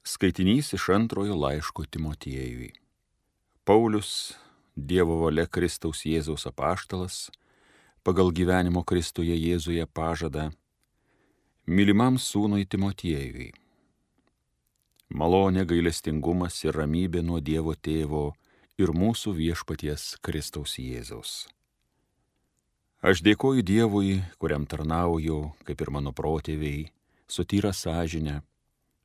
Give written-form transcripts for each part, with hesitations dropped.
Skaitinys iš antrojo laiško Timotiejui. Paulius, Dievo valia Kristaus Jėzaus apaštalas, pagal gyvenimo Kristuje Jėzuje pažadą, mylimam sūnui Timotiejui. Malonė, gailestingumas ir ramybė nuo Dievo Tėvo ir mūsų viešpaties Kristaus Jėzaus. Aš dėkoju Dievui, kuriam tarnauju, kaip ir mano protėviai, su tyra sąžine,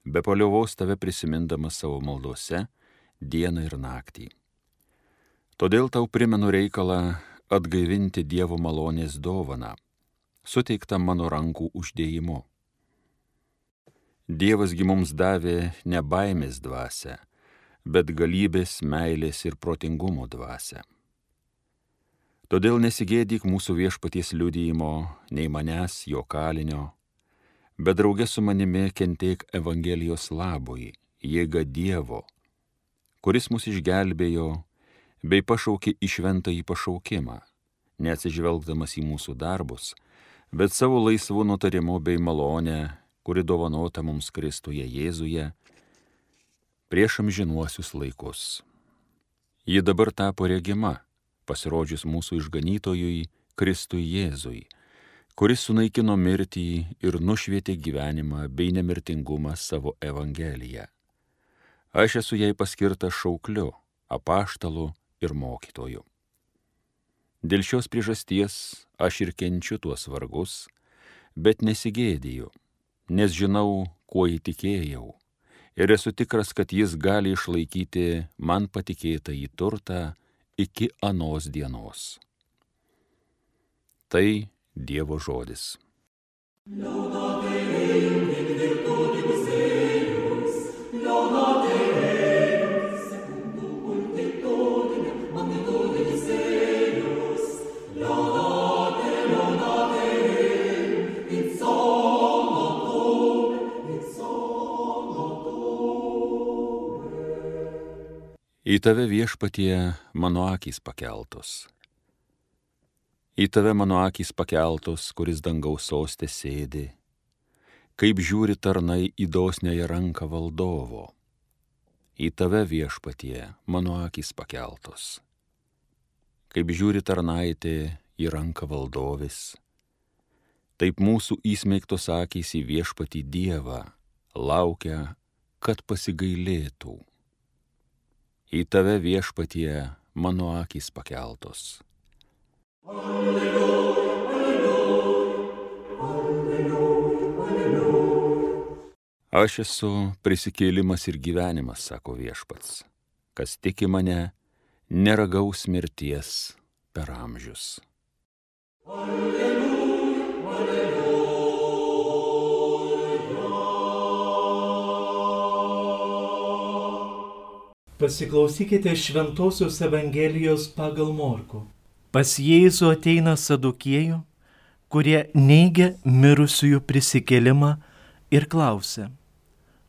be paliovos tave prisimindamas savo maldose dieną ir naktį. Todėl tau primenu reikalą atgaivinti Dievo malonės dovaną, suteiktą mano rankų uždėjimu. Dievasgi mums davė ne baimės dvasią, bet galybės, meilės ir protingumo dvasią. Todėl nesigėdyk mūsų viešpaties liudijimo, nei manęs, jo kalinio, bet drauge su manimi kentėk Evangelijos labui, jėga Dievo, kuris mus išgelbėjo bei pašaukė į šventąjį pašaukimą, neatsižvelgdamas į mūsų darbus, bet savo laisvu nutarimu bei malonę, kuri dovanota mums Kristuje Jėzuje prieš amžinuosius laikus. Ji dabar tapo regima, pasirodžius mūsų išganytojui Kristui Jėzui, kuris sunaikino mirtį ir nušvietė gyvenimą bei nemirtingumą savo Evangeliją. Aš esu jai paskirtas šaukliu, apaštalu ir mokytoju. Dėl šios priežasties aš ir kenčiu tuos vargus, bet nesigėdiju, nes žinau, kuo įtikėjau, ir esu tikras, kad jis gali išlaikyti man patikėtą į turtą iki anos dienos. Tai Dievo žodis. Į tave viešpatie mano akys pakeltos. Į tave mano akys pakeltos, kuris dangaus soste sėdi, kaip žiūri tarnai į dosniąją ranką valdovo. Į tave viešpatie mano akys pakeltos, kaip žiūri tarnaitė į ranką valdovis, taip mūsų įsmeigtos akys į viešpatį Dievą laukia, kad pasigailėtų. Į tave viešpatie mano akys pakeltos. Alleluja, alleluja, alleluja, alleluja. Aš esu prisikėlimas ir gyvenimas, sako viešpats. Kas tiki mane, neragaus mirties per amžius. Alleluja, alleluja. Pasiklausykite Šventosios Evangelijos pagal Morkų. Pas Jėzų ateina sadukiejų, kurie neigia mirusiųjų prisikėlimą ir klausia: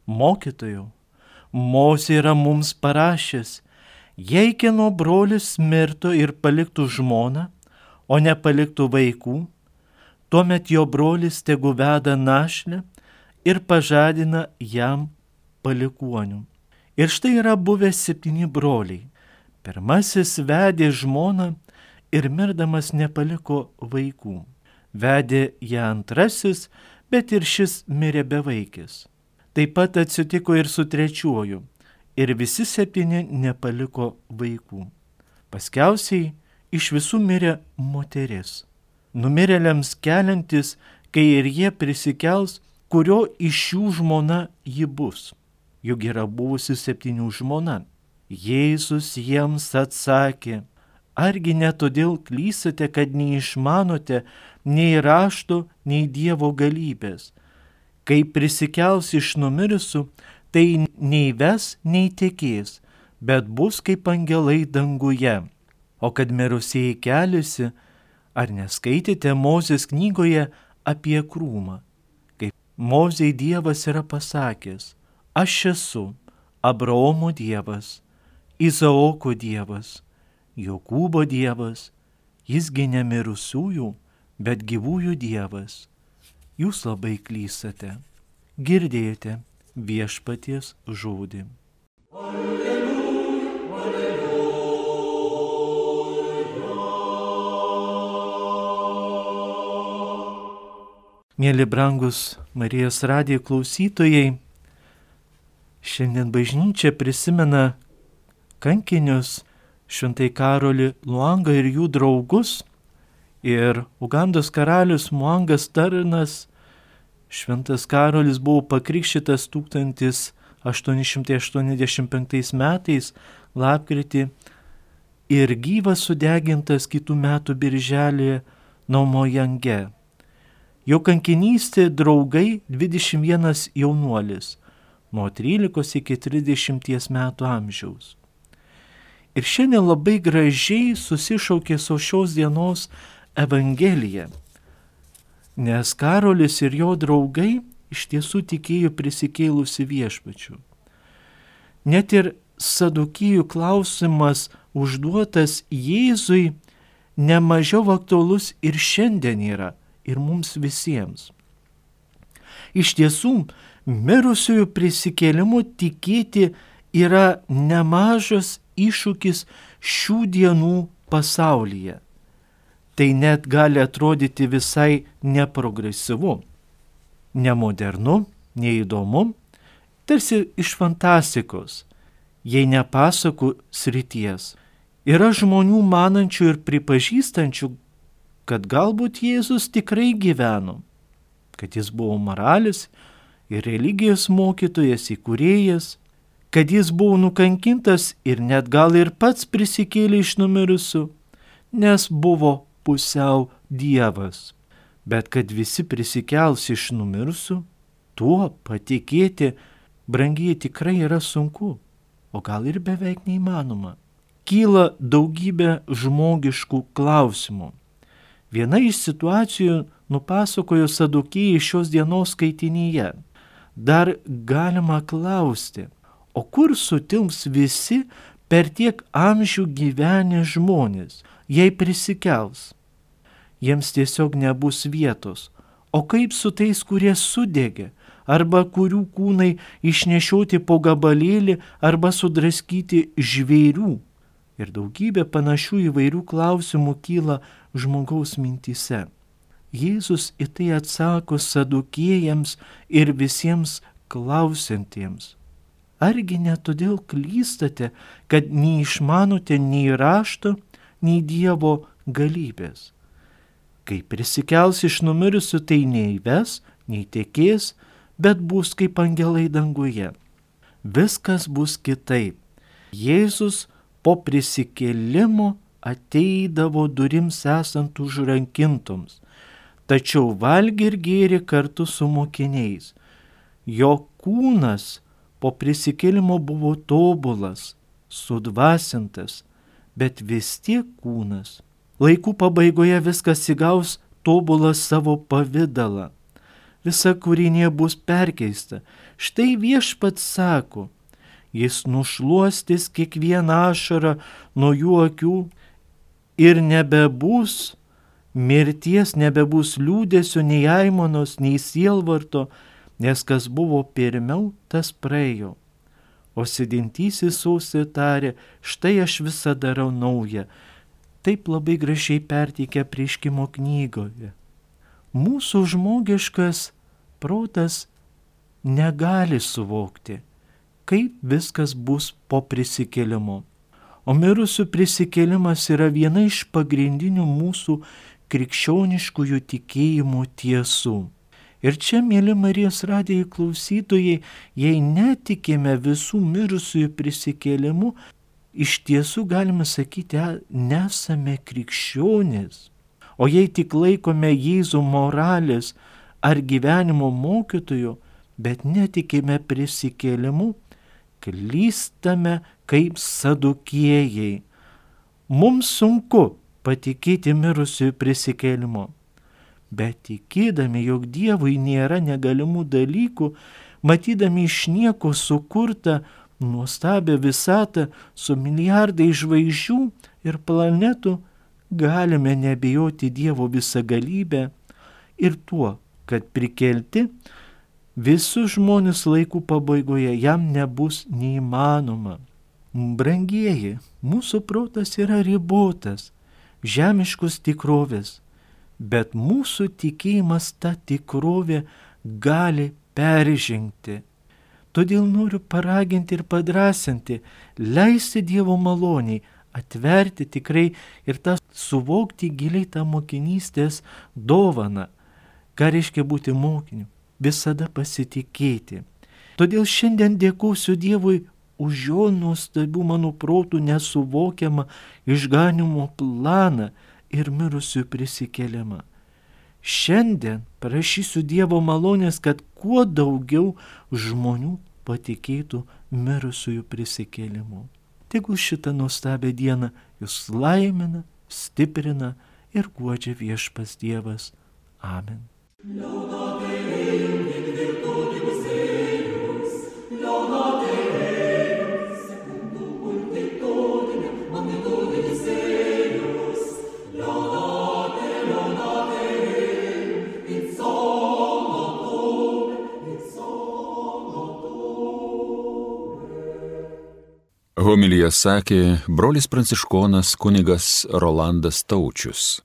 Mokytojau, Mozė yra mums parašęs, jei kieno brolis mirtų ir paliktų žmoną, o nepaliktų vaikų, tuomet jo brolis tegu veda našlę ir pažadina jam palikuonių. Ir štai yra buvę 7 broliai. Pirmasis vedė žmoną ir mirdamas nepaliko vaikų. Vedė ją antrasis, bet ir šis mirė bevaikis. Taip pat atsitiko ir su trečiuoju, ir visi 7 nepaliko vaikų. Paskiausiai iš visų mirė moteris. Numirėliams keliantis, kai ir jie prisikels, kurio iš jų žmona ji bus. Juk yra buvusi 7 žmona. Jėzus jiems atsakė: Argi ne todėl klystate, kad neišmanote nei rašto, nei Dievo galybės? Kai prisikels iš numirusių, tai nei ves, nei tekės, bet bus kaip angelai danguje. O kad mirusieji keliasi, ar neskaitėte Mozės knygoje apie krūmą? Kaip Mozei Dievas yra pasakęs: Aš esu Abraomo Dievas, Izaoko Dievas, Jokūbo Dievas, jisgi ne mirusiųjų, bet gyvųjų Dievas. Jūs labai klystate. Girdėjote, viešpaties žodį. Mėly brangus Marijos radijo klausytojai, šiandien bažnyčia prisimena kankinius Šventai Karolį Luangą ir jų draugus, ir Ugandos karalius Muangas Tarnas, Šventas Karolis buvo pakrikštytas 1885 metais lapkritį ir gyvas sudegintas kitų metų birželį Naumojange. Jo kankinystė draugai 21 jaunuolis, nuo 13 iki 30 metų amžiaus. Ir šiandien labai gražiai susišaukė su šios dienos Evangelija, nes Karolis ir jo draugai iš tiesų tikėjo prisikėlusi viešpačiu. Net ir Sadukijų klausimas užduotas Jėzui nemažiau aktualus ir šiandien yra, ir mums visiems. Iš tiesų, mirusiųjų prisikėlimu tikėti yra nemažas iššūkis šių dienų pasaulyje. Tai net gali atrodyti visai neprogresyvu, nemodernu, neįdomu, tarsi iš fantastikos, jei ne pasakų srities. Yra žmonių manančių ir pripažįstančių, kad galbūt Jėzus tikrai gyveno, kad jis buvo moralis ir religijos mokytojas, įkūrėjas, kad jis buvo nukankintas ir net gal ir pats prisikėlė iš numirusių, nes buvo pusiau Dievas. Bet kad visi prisikels iš numirusių, tuo patikėti, brangiai, tikrai yra sunku, o gal ir beveik neįmanoma. Kyla daugybė žmogiškų klausimų. Viena iš situacijų nupasakojo Sadukijai šios dienos skaitinyje. Dar galima klausti, o kur sutilps visi per tiek amžių gyvenę žmonės, jei prisikels? Jiems tiesiog nebus vietos. O kaip su tais, kurie sudegė, arba kurių kūnai išnešioti po gabalėlį, arba sudraskyti žvėrių? Ir daugybė panašių įvairių klausimų kyla žmogaus mintyse. Jėzus į tai atsako Sadukėjams ir visiems klausantiems. Argi ne todėl klystate, kad neišmanote nei rašto, nei Dievo galybės? Kai prisikels iš numirusių, tai neįves, nei tekės, bet bus kaip angelai danguje. Viskas bus kitaip. Jėzus po prisikėlimo ateidavo durims esant užrankintoms, tačiau valgė ir gėrė kartu su mokiniais. Jo kūnas po prisikėlimo buvo tobulas, sudvasintas, bet vis tiek kūnas. Laikų pabaigoje viskas įgaus tobulą savo pavidalą. Visa kūrinė bus perkeista. Štai Viešpats sako, jis nušluostys kiekvieną ašarą nuo jų akių ir nebebus mirties, nebebus liūdesio, nei aimanos, nei sielvarto, nes kas buvo pirmiau, tas praėjo. O sėdintysis sausai tarė, štai aš visą darau naują. Taip labai gražiai perteikia Apreiškimo knygoje. Mūsų žmogiškas protas negali suvokti, kaip viskas bus po prisikėlimo. O mirusių prisikėlimas yra viena iš pagrindinių mūsų krikščioniškųjų tikėjimo tiesų. Ir čia, mėly Marijos radijo klausytojai, jei netikime visų mirusiųjų prisikėlimu, iš tiesų galime sakyti, nesame krikščionys. O jei tik laikome Jėzų moralės ar gyvenimo mokytoju, bet netikime prisikėlimu, klystame kaip Sadukėjai. Mums sunku patikėti mirusiųjų prisikėlimo, bet tikėdami, jog Dievui nėra negalimų dalykų, matydami iš nieko sukurtą nuostabią visatą su milijardai žvaigždžių ir planetų, galime nebijoti Dievo visagalybę ir tuo, kad prikelti visus žmonės laikų pabaigoje jam nebus neįmanoma. Brangieji, mūsų protas yra ribotas, žemiškos tikrovės, bet mūsų tikėjimas tą tikrovę gali peržengti. Todėl noriu paraginti ir padrasinti, leisti Dievo maloniai, atverti tikrai ir tą suvokti giliai tą mokinystės dovaną, ką reiškia būti mokiniu, visada pasitikėti. Todėl šiandien dėkosiu Dievui už jo nuostabių mano protų nesuvokiamą išganimo planą ir mirusiųjų prisikėlimą. Šiandien prašysiu Dievo malonės, kad kuo daugiau žmonių patikėtų mirusiųjų prisikėlimu. Tegul šitą nuostabią dieną jūs laimina, stiprina ir guodžia viešpats Dievas. Amen. Homiliją sakė brolis pranciškonas kunigas Rolandas Taučius.